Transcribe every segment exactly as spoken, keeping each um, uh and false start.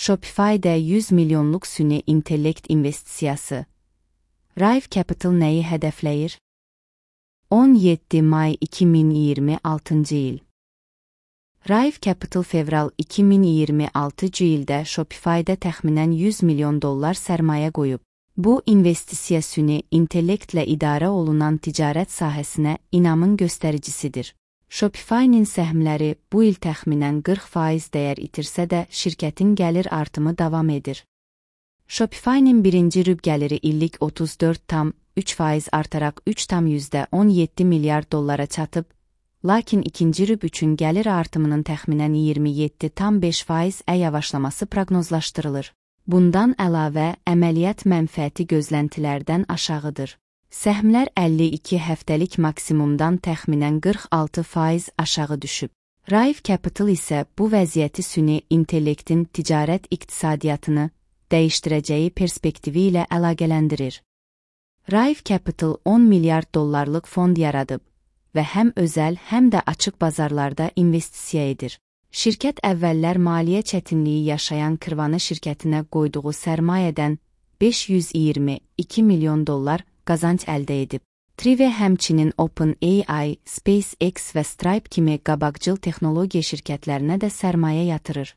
Shopify'də yüz milyonluq süni intellekt investisiyası. Rive Capital nəyi hədəfləyir? on yeddi may iki min iyirmi altıncı il. Rive Capital fevral iki min iyirmi altıncı ildə Shopify'də təxminən yüz milyon dollar sərmayə qoyub. Bu, investisiya süni intellektlə idarə olunan ticarət sahəsinə inamın göstəricisidir. Shopify-nin səhmləri bu il təxminən qırx faiz dəyər itirsə də şirkətin gəlir artımı davam edir. Shopify-nin birinci rüb gəliri illik otuz dörd tam üç faiz artaraq üç tam on yeddi milyard dollara çatıb, lakin ikinci rüb üçün gəlir artımının təxminən iyirmi yeddi tam beş faiz yavaşlaması proqnozlaşdırılır. Bundan əlavə, əməliyyat mənfəəti gözləntilərdən aşağıdır. Səhmlər əlli iki həftəlik maksimumdan təxminən qırx altı faiz aşağı düşüb. Rive Capital isə bu vəziyyəti süni intellektin ticarət iqtisadiyyatını dəyişdirəcəyi perspektivi ilə əlaqələndirir. Rive Capital on milyard dollarlıq fond yaradıb və həm özəl, həm də açıq bazarlarda investisiya edir. Şirkət əvvəllər maliyyə çətinliyi yaşayan Kırvana şirkətinə qoyduğu sərmayədən beş yüz iyirmi iki milyon dollar qazanc əldə edib. Trive həmçinin OpenAI, SpaceX və Stripe kimi qabaqcıl texnologiya şirkətlərinə də sərmayə yatırır.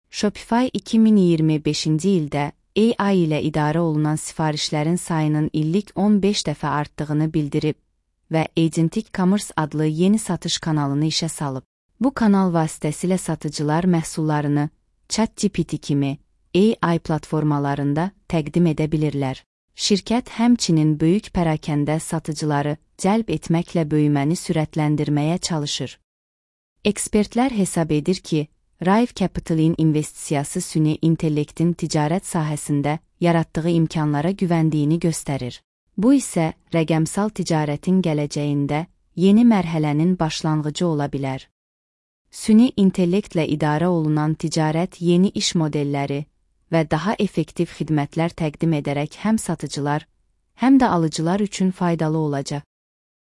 Shopify iki min iyirmi beşinci ildə A I ilə idarə olunan sifarişlərin sayının illik on beş dəfə artdığını bildirib və Agentic Commerce adlı yeni satış kanalını işə salıb. Bu kanal vasitəsilə satıcılar məhsullarını ChatGPT kimi A I platformalarında təqdim edə bilirlər. Şirkət həmçinin böyük pərakəndə satıcıları cəlb etməklə böyüməni sürətləndirməyə çalışır. Ekspertlər hesab edir ki, Rive Capital'in investisiyası süni intellektin ticarət sahəsində yaratdığı imkanlara güvəndiyini göstərir. Bu isə rəqəmsal ticarətin gələcəyində yeni mərhələnin başlanğıcı ola bilər. Süni intellektlə idarə olunan ticarət yeni iş modelləri və daha effektiv xidmətlər təqdim edərək həm satıcılar, həm də alıcılar üçün faydalı olacaq.